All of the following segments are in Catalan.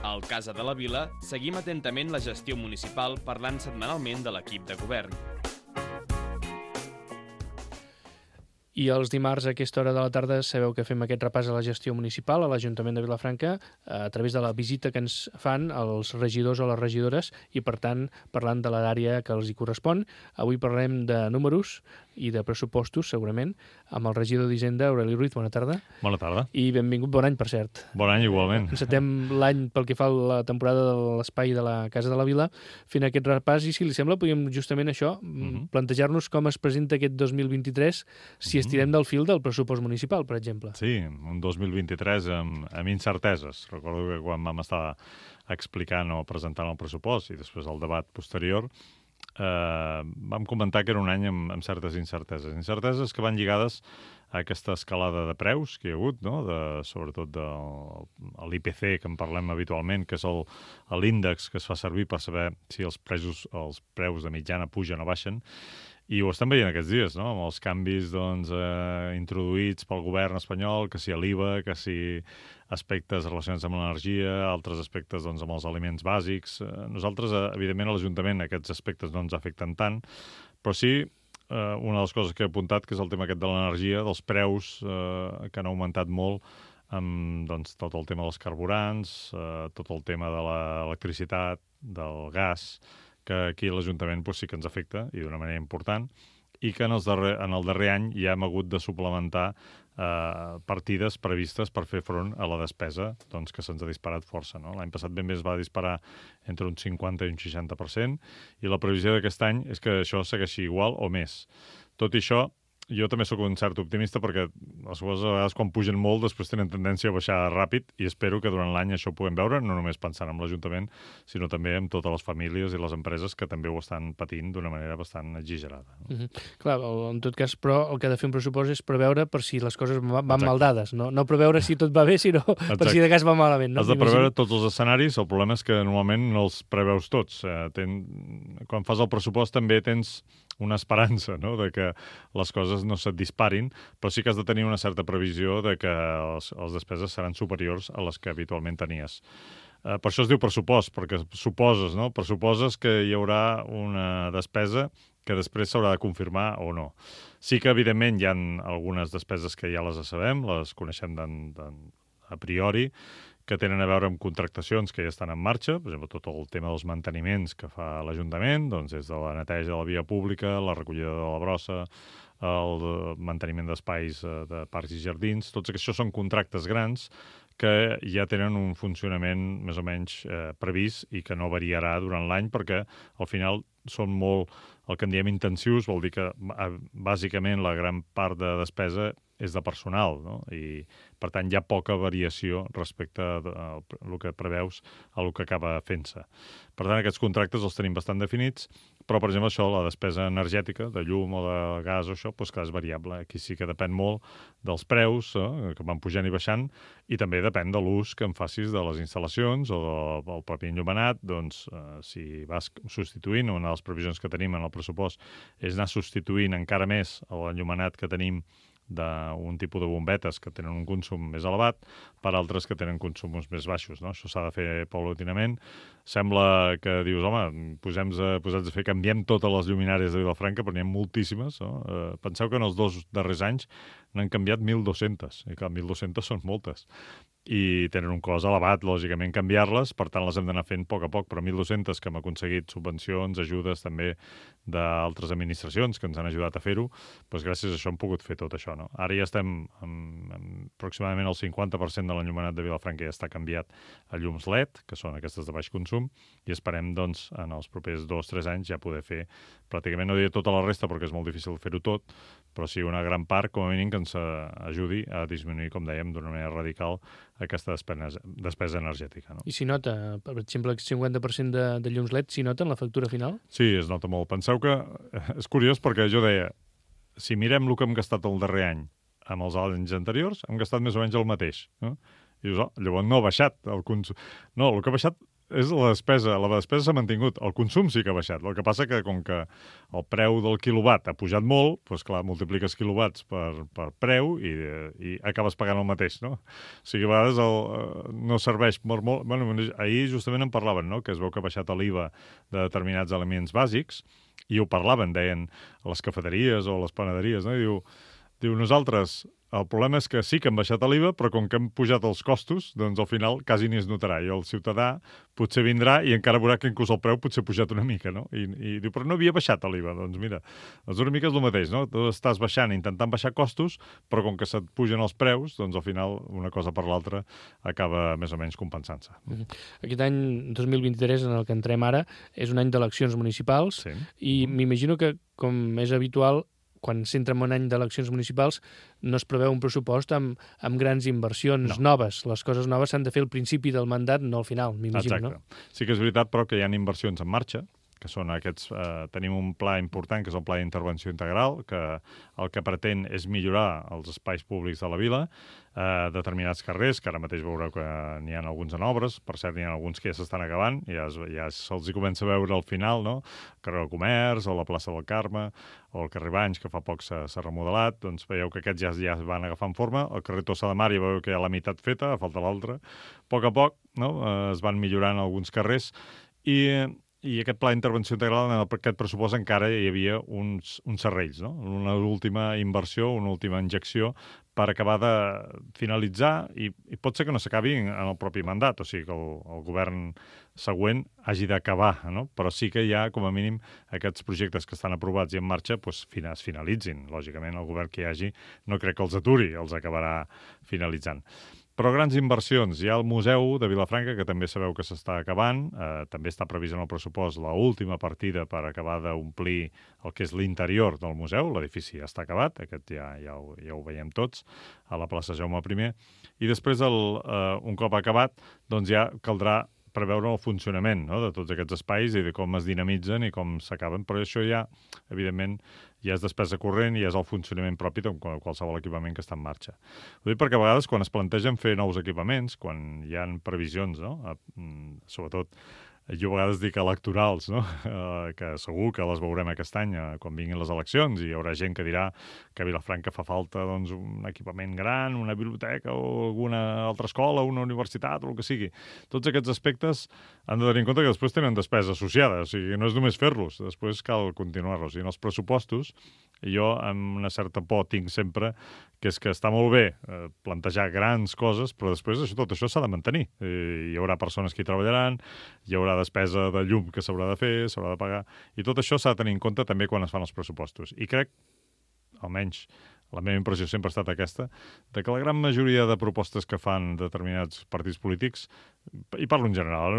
Al Casa de la Vila seguim atentament la gestió municipal parlant setmanalment de l'equip de govern. I els dimarts a aquesta hora de la tarda sabeu que fem aquest repàs a la gestió municipal a l'Ajuntament de Vilafranca a través de la visita que ens fan els regidors o les regidores i, per tant, parlant de l'àrea que els hi correspon. Avui parlarem de números i de pressupostos, segurament, amb el regidor d'Hisenda, Aureli Ruiz. Bona tarda. Bona tarda. I benvingut, bon any, per cert. Bon any, igualment. Encetem l'any pel que fa a la temporada de l'espai de la Casa de la Vila, fent aquest repàs, i si li sembla, podríem justament això, plantejar-nos com es presenta aquest 2023, si estirem del fil del pressupost municipal, per exemple. Sí, un 2023 amb incerteses. Recordo que quan vam estar explicant o presentant el pressupost i després el debat posterior, vam comentar que era un any amb certes incerteses. Incerteses que van lligades a aquesta escalada de preus que hi ha hagut, no? Sobretot de l'IPC, que en parlem habitualment, que és l'índex que es fa servir per saber si els preus de mitjana pugen o baixen. I ho estem veient aquests dies, no? Amb els canvis introduïts pel govern espanyol, que si l'IVA, que si aspectes relacionats amb l'energia, altres aspectes amb els aliments bàsics. Nosaltres, evidentment, a l'Ajuntament aquests aspectes no ens afecten tant, però sí una de les coses que he apuntat, que és el tema aquest de l'energia, dels preus que han augmentat molt, amb tot el tema dels carburants, tot el tema de l'electricitat, del gas, que aquí a l'Ajuntament sí que ens afecta, i d'una manera important, i que en el darrer any ja hem hagut de suplementar partides previstes per fer front a la despesa que se'ns ha disparat força. No? L'any passat ben bé es va disparar entre un 50 i un 60%, i la previsió d'aquest any és que això segueixi igual o més. Tot i això, jo també sóc un cert optimista perquè les coses a vegades quan pugen molt després tenen tendència a baixar ràpid, i espero que durant l'any això ho puguem veure, no només pensant en l'Ajuntament, sinó també en totes les famílies i les empreses que també ho estan patint d'una manera bastant exagerada. Clar, en tot cas, però el que ha de fer un pressupost és preveure per si les coses van mal dades, no preveure si tot va bé, sinó per si de cas va malament. No? Has de preveure tots els escenaris, el problema és que normalment no els preveus tots. Quan fas el pressupost també tens una esperança, no?, de que les coses no se't disparin, però sí que has de tenir una certa previsió de que les despeses seran superiors a les que habitualment tenies. Per això es diu pressupost, perquè suposes, no?, pressuposes que hi haurà una despesa que després s'haurà de confirmar o no. Sí que, evidentment, hi ha algunes despeses que ja les sabem, les coneixem a priori, que tenen a veure amb contractacions que ja estan en marxa, per exemple, tot el tema dels manteniments que fa l'Ajuntament, des de la neteja de la via pública, la recollida de la brossa, el manteniment d'espais de parcs i jardins, tots això són contractes grans que ja tenen un funcionament més o menys previst i que no variarà durant l'any, perquè al final són molt, el que en diem intensius, vol dir que bàsicament la gran part de despesa és de personal, no? I, per tant, hi ha poca variació respecte al que preveus a el que acaba fent-se. Per tant, aquests contractes els tenim bastant definits, però, per exemple, això, la despesa energètica, de llum o de gas o això, clar, és variable. Aquí sí que depèn molt dels preus, que van pujant i baixant, i també depèn de l'ús que en facis de les instal·lacions o del propi enllumenat. Si vas substituint, una de les previsions que tenim en el pressupost és anar substituint encara més l'enllumenat que tenim d'un tipus de bombetes que tenen un consum més elevat per altres que tenen consums més baixos, no? Això s'ha de fer paulatinament. Sembla que dius, home, posats a fer, canviem totes les lluminàries de Vilafranca, però n'hi ha moltíssimes, no? Penseu que en els 2 darrers anys n'han canviat 1.200, i clar, 1.200 són moltes. I tenen un cost elevat, lògicament, canviar-les, per tant les hem d'anar fent a poc, però 1.200 que hem aconseguit subvencions, ajudes també d'altres administracions que ens han ajudat a fer-ho, doncs gràcies a això hem pogut fer tot això, no? Ara ja estem aproximadament el 50% de l'enllumenat de Vilafranca ja està canviat a llums LED, que són aquestes de baix consum, i esperem, doncs, en els propers 2-3 anys ja poder fer pràcticament, no diré tota la resta perquè és molt difícil fer-ho tot, però sí una gran part, com a mínim, que ens ajudi a disminuir, com dèiem, d'una manera radical aquesta despesa energètica. No? I s'hi nota, per exemple, el 50% de llums LED, s'hi nota en la factura final? Sí, es nota molt. Penseu que és curiós perquè jo deia, si mirem el que hem gastat el darrer any amb els anys anteriors, hem gastat més o menys el mateix. No? I dius, llavors no ha baixat el consum. No, el que ha baixat és la despesa. La despesa s'ha mantingut. El consum sí que ha baixat. El que passa que, com que el preu del quilowatt ha pujat molt, doncs clar, multipliques quilowatts per preu i acabes pagant el mateix, no? O sigui, a vegades no serveix molt... Bueno, ahir justament en parlaven, no?, que es veu que ha baixat l'IVA de determinats aliments bàsics, i ho parlaven, deien, a les cafeteries o a les panaderies, no? I diu, nosaltres... El problema és que sí que han baixat l'IVA, però com que han pujat els costos, doncs al final quasi ni es notarà. I el ciutadà potser vindrà i encara veurà que inclús el preu potser ha pujat una mica, no? I diu, però no havia baixat l'IVA. Doncs mira, una mica és el mateix, no? Tu estàs baixant, intentant baixar costos, però com que se't pugen els preus, doncs al final una cosa per l'altra acaba més o menys compensant-se. Aquest any 2023, en el que entrem ara, és un any d'eleccions municipals i m'imagino que, com és habitual, quan s'entra en un any d'eleccions municipals no es preveu un pressupost amb grans inversions noves. Les coses noves s'han de fer al principi del mandat, no al final, m'imagino, no? Sí que és veritat, però, que hi ha inversions en marxa, que són aquests... tenim un pla important, que és el Pla d'Intervenció Integral, que el que pretén és millorar els espais públics de la vila, determinats carrers, que ara mateix veureu que n'hi ha alguns en obres, per cert, n'hi ha alguns que ja s'estan acabant, ja se'ls comença a veure al final, no? El carrer del Comerç, o la plaça del Carme, o el carrer Banys, que fa poc s'ha remodelat, doncs veieu que aquests ja van agafant forma. El carrer Tossa de Mar ja veieu que hi ha la meitat feta, falta l'altra. A poc, no? Es van millorant alguns carrers, i aquest pla d'intervenció integral, en aquest pressupost encara hi havia uns serrells, no? Una última inversió, una última injecció per acabar de finalitzar, i pot ser que no s'acabi en el propi mandat, o sigui que el govern següent hagi d'acabar, no? Però sí que hi ha, com a mínim, aquests projectes que estan aprovats i en marxa es finalitzin. Lògicament, el govern que hi hagi no crec que els aturi, els acabarà finalitzant. Però grans inversions. Hi ha el Museu de Vilafranca, que també sabeu que s'està acabant. També està previst en el pressupost l'última partida per acabar d'omplir el que és l'interior del museu. L'edifici ja està acabat, aquest ja ho veiem tots, a la plaça Jaume I. I després, un cop acabat, doncs ja caldrà preveure el funcionament, no?, de tots aquests espais i de com es dinamitzen i com s'acaben. Però això ja, evidentment, ja és despesa corrent i és el funcionament propi de qualsevol equipament que està en marxa. Ho dic perquè a vegades quan es plantegen fer nous equipaments, quan hi ha previsions, no?, sobretot jo a vegades dic electorals, no?, que segur que les veurem aquest any quan vinguin les eleccions, i hi haurà gent que dirà que a Vilafranca fa falta, doncs, un equipament gran, una biblioteca o alguna altra escola, una universitat o el que sigui. Tots aquests aspectes han de tenir en compte que després tenen despesa associada, o sigui, no és només fer-los, després cal continuar-los. I en els pressupostos, jo amb una certa por tinc sempre que és que està molt bé plantejar grans coses, però després tot això s'ha de mantenir. Hi haurà persones que hi treballaran, hi haurà despesa de llum que s'haurà de fer, s'haurà de pagar, i tot això s'ha de tenir en compte també quan es fan els pressupostos. I crec, almenys la meva impressió sempre ha estat aquesta, de que la gran majoria de propostes que fan determinats partits polítics, i parlo en general,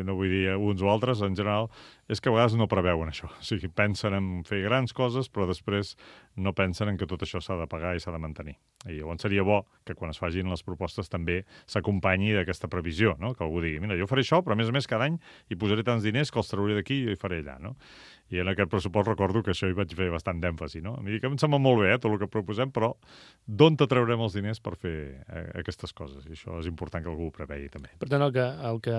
no vull dir uns o altres, en general, és que a vegades no preveuen això. O sigui, pensen en fer grans coses, però després no pensen en que tot això s'ha de pagar i s'ha de mantenir. I llavors seria bo que quan es facin les propostes també s'acompanyi d'aquesta previsió, no?, que algú digui, mira, jo faré això, però a més cada any hi posaré tants diners que els trauré d'aquí i hi faré allà, no? I en aquest pressupost recordo que això hi vaig fer bastant d'èmfasi, no? A mi que em sembla molt bé, tot el que proposem, però d'on te traurem els diners per fer aquestes coses? I això és important que algú ho prevegi també. Per tant, el que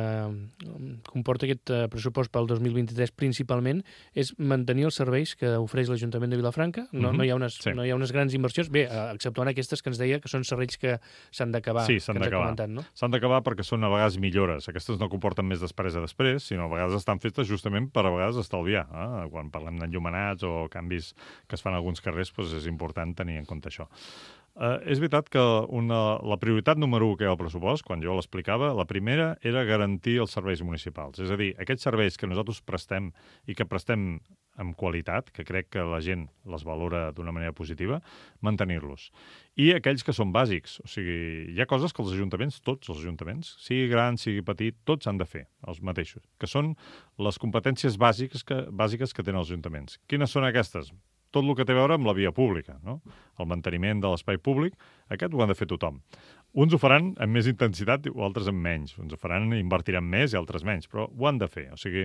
comporta aquest pressupost pel 2023 principalment és mantenir els serveis que ofereix l'Ajuntament de Vilafranca. No hi ha unes grans inversions, bé, exceptuant aquestes que ens deia que són serveis que s'han d'acabar. Sí, s'han d'acabar. No? S'han d'acabar perquè són a vegades millores. Aquestes no comporten més despesa després, sinó a vegades estan fetes justament per a vegades estalviar. Quan parlem d'enllumenats o canvis que es fan a alguns carrers, doncs és important tenir en compte això. És veritat que la prioritat número 1 que hi ha al pressupost, quan jo l'explicava, la primera era garantir els serveis municipals. És a dir, aquests serveis que nosaltres prestem i que prestem amb qualitat, que crec que la gent les valora d'una manera positiva, mantenir-los. I aquells que són bàsics. O sigui, hi ha coses que els ajuntaments, tots els ajuntaments, sigui gran, sigui petit, tots han de fer, els mateixos, que són les competències bàsiques que tenen els ajuntaments. Quines són aquestes? Tot el que té a veure amb la via pública, no? El manteniment de l'espai públic, aquest ho han de fer tothom. Uns ho faran amb més intensitat o altres amb menys. Uns ho faran, invertiran més i altres menys, però ho han de fer. O sigui,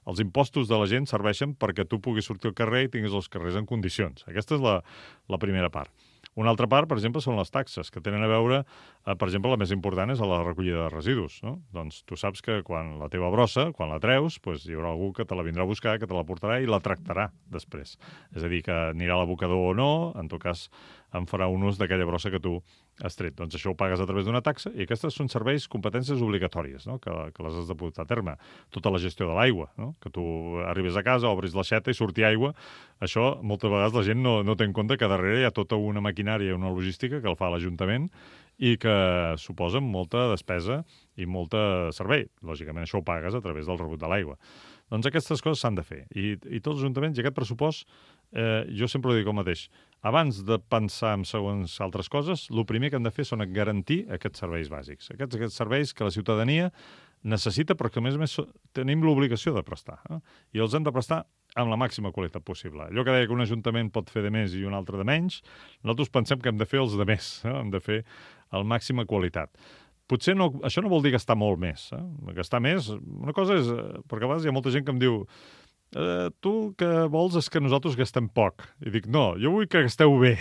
els impostos de la gent serveixen perquè tu puguis sortir al carrer i tinguis els carrers en condicions. Aquesta és la primera part. Una altra part, per exemple, són les taxes, que tenen a veure, per exemple, la més important és la recollida de residus. No? Doncs tu saps que quan la teva brossa, quan la treus, doncs hi haurà algú que te la vindrà a buscar, que te la portarà i la tractarà després. És a dir, que anirà a l'abocador o no, en tot cas en farà un ús d'aquella brossa que tu has tret. Doncs això ho pagues a través d'una taxa i aquestes són serveis, competències obligatòries, no? que les has de portar a terme. Tota la gestió de l'aigua, no? Que tu arribes a casa, obris l'aixeta i surti aigua. Això, moltes vegades la gent no té en compte que darrere hi ha tota una maquinària i una logística que el fa l'Ajuntament i que suposen molta despesa i molt servei. Lògicament, això ho pagues a través del rebut de l'aigua. Doncs aquestes coses s'han de fer. I tots els ajuntaments, i aquest pressupost, jo sempre ho dic el mateix. Abans de pensar en segons altres coses, el primer que hem de fer són garantir aquests serveis bàsics. Aquests serveis que la ciutadania necessita, però que, a més, tenim l'obligació de prestar. I els hem de prestar amb la màxima qualitat possible. Allò que deia que un ajuntament pot fer de més i un altre de menys, nosaltres pensem que hem de fer els de més. Hem de fer el màxima qualitat. Potser no, això no vol dir gastar molt més. Gastar més, una cosa és... Perquè a vegades hi ha molta gent que em diu tu el que vols és que nosaltres gastem poc. I dic, no, jo vull que gasteu bé,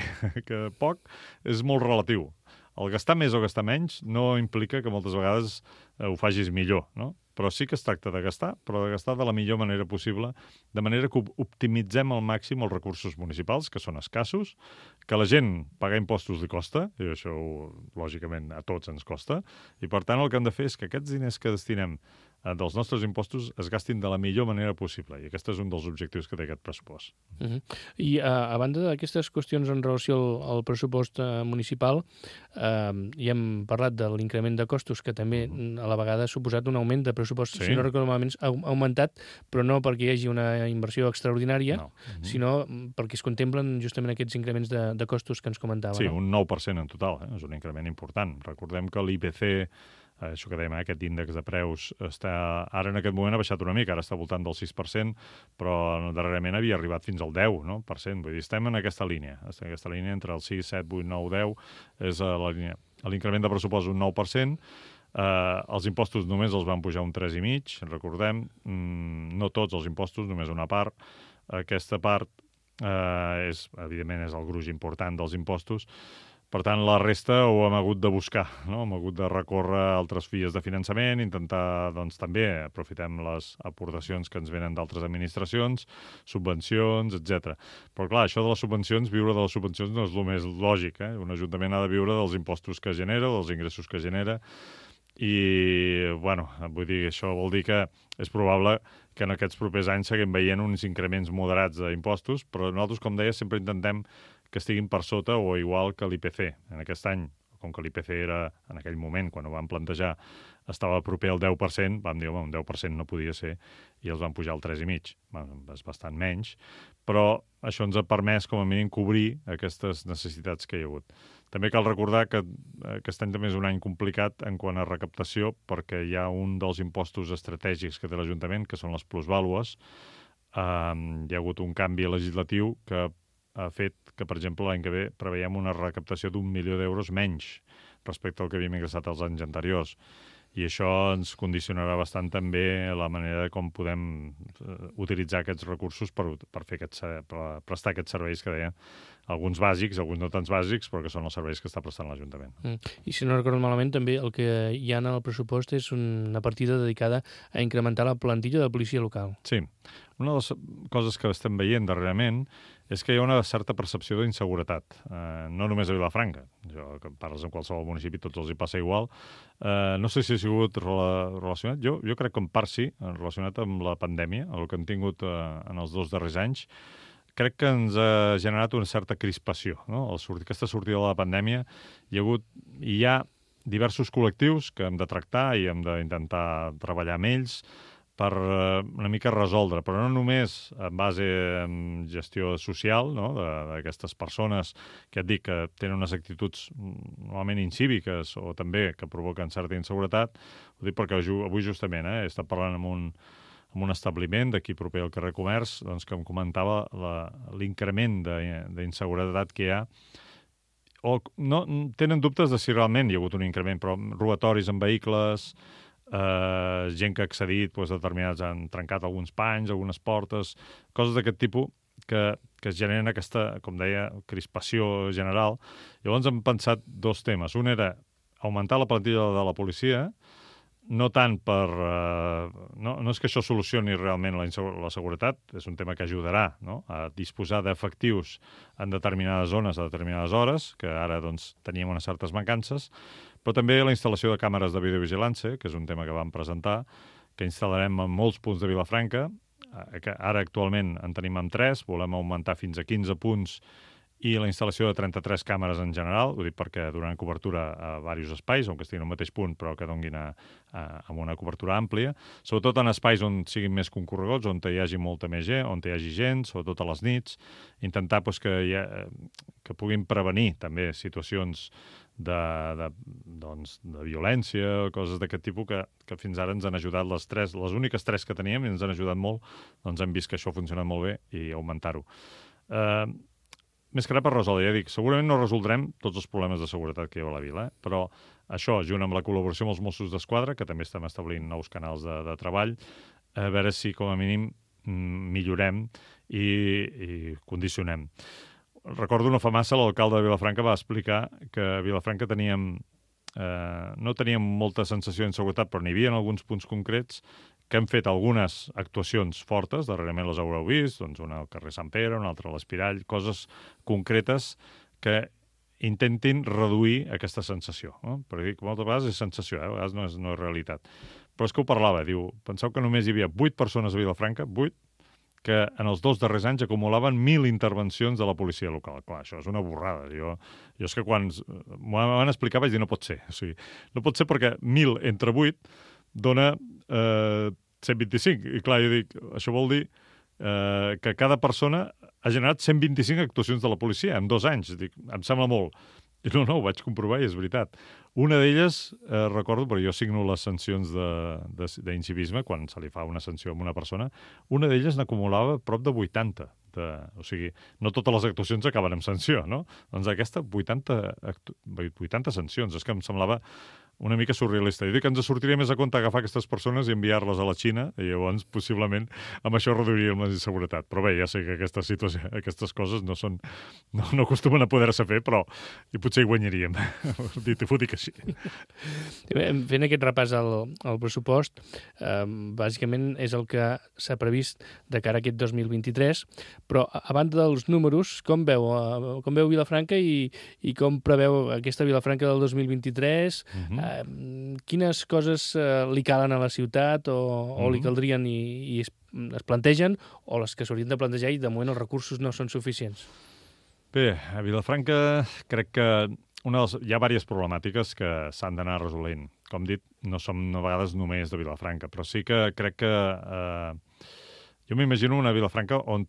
que poc és molt relatiu. El gastar més o gastar menys no implica que moltes vegades ho facis millor, no? Però sí que es tracta de gastar, però de gastar de la millor manera possible, de manera que optimitzem al màxim els recursos municipals, que són escassos, que la gent pagar impostos li costa, i això, lògicament, a tots ens costa, i per tant el que hem de fer és que aquests diners que destinem dels nostres impostos es gastin de la millor manera possible, i aquest és un dels objectius que té aquest pressupost. I a banda d'aquestes qüestions en relació al pressupost municipal, ja hem parlat de l'increment de costos, que també a la vegada ha suposat un augment de pressupost, si no recordo malament, ha augmentat, però no perquè hi hagi una inversió extraordinària, sinó perquè es contemplen justament aquests increments de costos que ens comentava. Sí, un 9% en total, és un increment important. Recordem que l'IPC, això que dèiem, aquest índex de preus, ara en aquest moment ha baixat una mica, ara està al voltant del 6%, però darrerament havia arribat fins al 10%. Vull dir, estem en aquesta línia. Estem en aquesta línia entre el 6, 7, 8, 9, 10, és la línia. L'increment de pressupost un 9%, els impostos només els van pujar un 3,5%, recordem, no tots els impostos, només una part. Aquesta part, evidentment, és el gruix important dels impostos. Per tant, la resta ho hem hagut de buscar, no? Hem hagut de recórrer altres vies de finançament, intentar, doncs, també aprofitem les aportacions que ens venen d'altres administracions, subvencions, etc. Però, clar, això de les subvencions, viure de les subvencions no és el més lògic, Un ajuntament ha de viure dels impostos que genera, dels ingressos que genera, i, bueno, vull dir, això vol dir que és probable que en aquests propers anys seguim veient uns increments moderats d'impostos, però nosaltres, com deia, sempre intentem que estiguin per sota o igual que l'IPC. En aquest any, com que l'IPC era, en aquell moment, quan ho vam plantejar, estava proper al 10%, vam dir, un 10% no podia ser, i els van pujar al 3,5%. És bastant menys, però això ens ha permès, com a mínim, cobrir aquestes necessitats que hi ha hagut. També cal recordar que aquest any també és un any complicat en quant a recaptació, perquè hi ha un dels impostos estratègics que té l'Ajuntament, que són les plusvàlues. Hi ha hagut un canvi legislatiu que ha fet que, per exemple, l'any que ve preveiem una recaptació d'1 milió d'euros menys respecte al que havíem ingressat els anys anteriors. I això ens condicionarà bastant també la manera com podem utilitzar aquests recursos per prestar aquests serveis que deien, alguns bàsics, alguns no tants bàsics, però que són els serveis que està prestant l'Ajuntament. I si no recordo malament, també el que hi ha en el pressupost és una partida dedicada a incrementar la plantilla de policia local. Sí. Una de les coses que estem veient darrerament és que hi ha una certa percepció d'inseguretat, no només a Vilafranca. Que parles en qualsevol municipi, tots els hi passa igual. No sé si ha sigut relacionat, jo crec que en part sí, relacionat amb la pandèmia, el que hem tingut en els 2 darrers anys, crec que ens ha generat una certa crispació. No? Aquesta sortida de la pandèmia hi ha diversos col·lectius que hem de tractar i hem d'intentar treballar amb ells per una mica resoldre, però no només en base en gestió social, no? D'aquestes persones que et dic que tenen unes actituds normalment incíviques o també que provoquen certa inseguretat. Ho dic perquè avui justament he estat parlant amb un establiment d'aquí proper al carrer Comerç, doncs, que em comentava l'increment d'inseguretat que hi ha. O no, tenen dubtes de si realment hi ha hagut un increment, però robatoris en vehicles, gent que ha accedit, determinats han trencat alguns panys, algunes portes, coses d'aquest tipus que es generen aquesta, com deia, crispació general. Llavors hem pensat dos temes. Un era augmentar la plantilla de la policia, no tant per... no és que això solucioni realment la seguretat, és un tema que ajudarà, no?, a disposar d'efectius en determinades zones a determinades hores, que ara doncs, teníem unes certes mancances, però també la instal·lació de càmeres de videovigilància, que és un tema que vam presentar, que instal·larem en molts punts de Vilafranca, que ara actualment en tenim amb 3, volem augmentar fins a 15 punts, i la instal·lació de 33 càmeres en general, ho dic perquè donaran cobertura a diversos espais, on estiguin al mateix punt, però que donguin amb una cobertura àmplia, sobretot en espais on siguin més concorreguts, on hi hagi molta més gent, on hi hagi gent, sobretot a les nits, intentar doncs, que puguin prevenir també situacions de violència, coses d'aquest tipus que fins ara ens han ajudat les úniques 3 que teníem i ens han ajudat molt, doncs hem vist que això ha funcionat molt bé i augmentar-ho. Més que res per resoldre, ja dic, segurament no resoldrem tots els problemes de seguretat que hi ha a la vila, però això, junt amb la col·laboració amb els Mossos d'Esquadra, que també estem establint nous canals de treball, a veure si com a mínim millorem i condicionem. Recordo no fa massa l'alcalde de Vilafranca va explicar que a Vilafranca no teníem molta sensació d'inseguretat, però n'hi havia en alguns punts concrets que hem fet algunes actuacions fortes, darrerament les haureu vist, doncs una al carrer Sant Pere, una altra a l'Espirall, coses concretes que intentin reduir aquesta sensació. No? Perquè dic, moltes vegades és sensació, a vegades no és realitat. Però és que ho parlava, diu, penseu que només hi havia 8 persones a Vilafranca, 8, que en els 2 darrers anys acumulaven 1.000 intervencions de la policia local. Clar, això és una borrada. Jo és que quan m'ho van explicar vaig dir no pot ser. O sigui, no pot ser perquè 1.000 entre 8 dona 125. I clar, jo dic, això vol dir que cada persona ha generat 125 actuacions de la policia en 2 anys. Dic, em sembla molt. I no, ho vaig comprovar i és veritat. Una d'elles, recordo, perquè jo signo les sancions d'incivisme, quan se li fa una sanció a una persona, una d'elles n'acumulava prop de 80. O sigui, no totes les actuacions acaben amb sanció, no? Doncs aquesta, 80 sancions. És que em semblava una mica surrealista. I dic que ens sortiria més a compte agafar aquestes persones i enviar-les a la Xina, i llavors, possiblement, amb això reduiríem la inseguretat. Però bé, ja sé que aquestes coses no acostumen a poder-se fer, però i potser hi guanyaríem. T'ho dic així. Fent aquest repàs al pressupost, bàsicament és el que s'ha previst de cara a aquest 2023, però a banda dels números, com veu Vilafranca i com preveu aquesta Vilafranca del 2023? Quines coses li calen a la ciutat o li caldrien i es plantegen, o les que s'haurien de plantejar i de moment els recursos no són suficients? Bé, a Vilafranca crec que hi ha diverses problemàtiques que s'han d'anar resolent. Com dit, no som a vegades només de Vilafranca, però sí que crec que jo m'imagino una Vilafranca on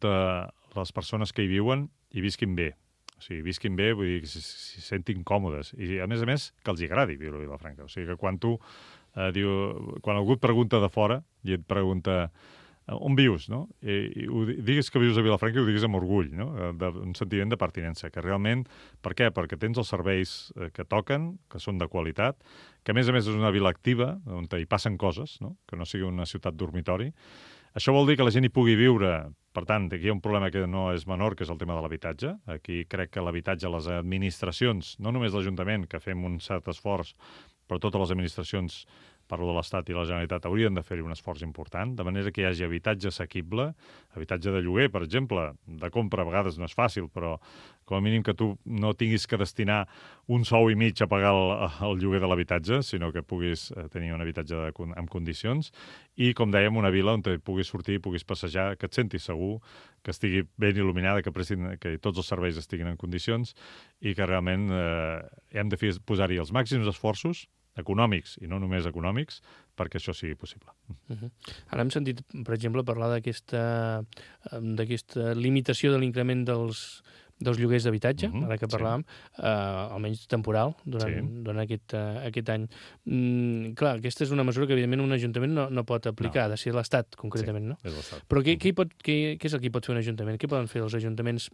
les persones que hi viuen hi visquin bé. O sigui, visquin bé, vull dir, que s'hi sentin còmodes. I, a més, que els agradi viure a Vilafranca. O sigui, que quan quan algú et pregunta de fora i et pregunta on vius, no? I diguis que vius a Vilafranca i ho diguis amb orgull, no? Un sentiment de pertinença, que realment... Per què? Perquè tens els serveis que toquen, que són de qualitat, que a més és una vila activa, on hi passen coses, no? Que no sigui una ciutat dormitori. Això vol dir que la gent hi pugui viure. Per tant, aquí hi ha un problema que no és menor, que és el tema de l'habitatge. Aquí crec que l'habitatge, les administracions, no només l'Ajuntament, que fem un cert esforç, però totes les administracions, parlo de l'Estat i la Generalitat, haurien de fer-hi un esforç important, de manera que hi hagi habitatge assequible, habitatge de lloguer, per exemple, de compra a vegades no és fàcil, però com a mínim que tu no tinguis que destinar un sou i mig a pagar el lloguer de l'habitatge, sinó que puguis tenir un habitatge en condicions, i, com dèiem, una vila on puguis sortir, puguis passejar, que et sentis segur, que estigui ben il·luminada, que tots els serveis estiguin en condicions, i que realment hem de posar-hi els màxims esforços econòmics, i no només econòmics, perquè això sigui possible. Ara hem sentit, per exemple, parlar d'aquesta limitació de l'increment dels lloguers d'habitatge, ara que parlàvem, almenys temporal, durant aquest any. Clar, aquesta és una mesura que, evidentment, un ajuntament no pot aplicar, ha de ser l'Estat, concretament, no? Sí, és l'Estat. Però què és el que pot fer un ajuntament? Què poden fer els ajuntaments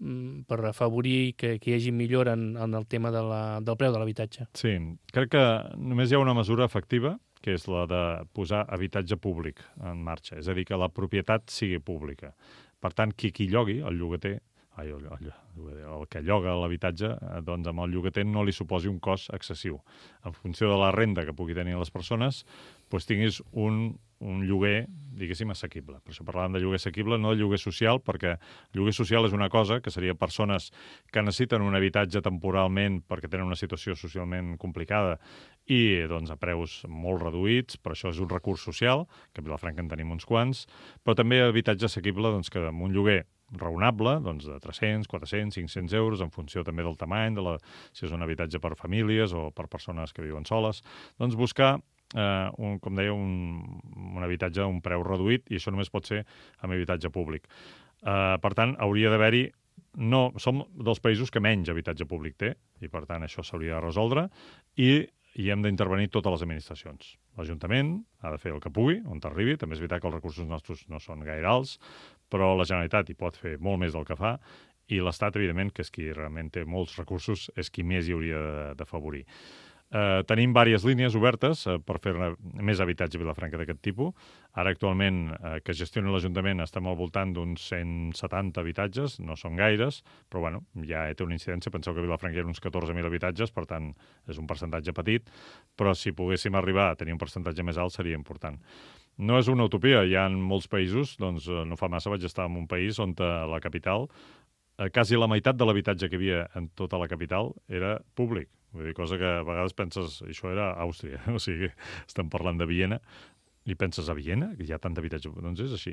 per afavorir que hi hagi millora en el tema del preu de l'habitatge? Sí, crec que només hi ha una mesura efectiva, que és la de posar habitatge públic en marxa, és a dir, que la propietat sigui pública. Per tant, qui llogui, el llogater, el que lloga l'habitatge, doncs amb el llogater no li suposi un cost excessiu. En funció de la renda que pugui tenir les persones, doncs tinguis un lloguer, diguéssim, assequible. Per això parlàvem de lloguer assequible, no de lloguer social, perquè lloguer social és una cosa que seria persones que necessiten un habitatge temporalment perquè tenen una situació socialment complicada i doncs, a preus molt reduïts, però això és un recurs social, que a Vilafranca en tenim uns quants, però també habitatge assequible doncs, que amb un lloguer raonable, doncs de 300, 400, 500 euros, en funció també del tamany, si és un habitatge per famílies o per persones que viuen soles, doncs buscar com deia, un habitatge a un preu reduït, i això només pot ser amb habitatge públic. Per tant, hauria d'haver-hi... Som dels països que menys habitatge públic té, i per tant això s'hauria de resoldre, i hem d'intervenir totes les administracions. L'Ajuntament ha de fer el que pugui, on t'arribi. També és veritat que els recursos nostres no són gaire alts, però la Generalitat hi pot fer molt més del que fa, i l'Estat, evidentment, que és qui realment té molts recursos, és qui més hi hauria d'afavorir. Tenim diverses línies obertes per fer més habitatge a Vilafranca d'aquest tipus. Ara, actualment, que gestioni l'Ajuntament, estem al voltant d'uns 170 habitatges, no són gaires, però bueno, ja té una incidència. Penseu que a Vilafranca hi ha uns 14.000 habitatges, per tant, és un percentatge petit, però si poguéssim arribar a tenir un percentatge més alt seria important. No és una utopia, hi ha molts països, doncs no fa massa vaig estar en un país on a la capital quasi la meitat de l'habitatge que hi havia en tota la capital era públic. Vull dir, cosa que a vegades penses, això era Àustria, o sigui, estem parlant de Viena, i penses, a Viena, que hi ha tant d'habitatge? Doncs és així.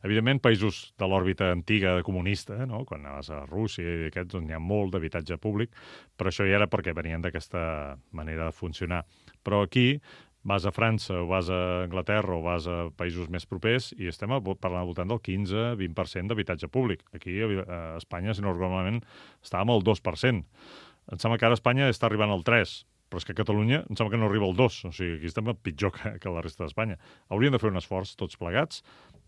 Evidentment, països de l'òrbita antiga comunista, no? Quan anaves a Rússia i aquests, doncs hi ha molt d'habitatge públic, però això ja era perquè venien d'aquesta manera de funcionar. Però aquí vas a França o vas a Anglaterra o vas a països més propers i estem parlant al voltant del 15-20% d'habitatge públic. Aquí a Espanya, si no normalment, estàvem al 2%. Em sembla que ara Espanya està arribant al 3%, però és que a Catalunya em sembla que no arriba al 2%, o sigui, aquí estem pitjor que la resta d'Espanya. Hauríem de fer un esforç tots plegats,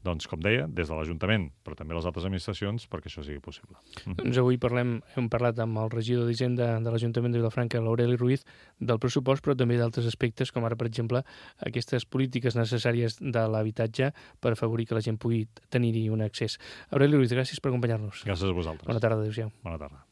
doncs, com deia, des de l'Ajuntament, però també les altres administracions, perquè això sigui possible. Doncs avui hem parlat amb el regidor d'Hisenda de l'Ajuntament de Vilafranca, l'Aureli Ruiz, del pressupost, però també d'altres aspectes, com ara, per exemple, aquestes polítiques necessàries de l'habitatge per afavorir que la gent pugui tenir-hi un accés. Aureli Ruiz, gràcies per acompanyar-nos. Gràcies a vosaltres. Bona tarda, adéu-siau. Bona tarda.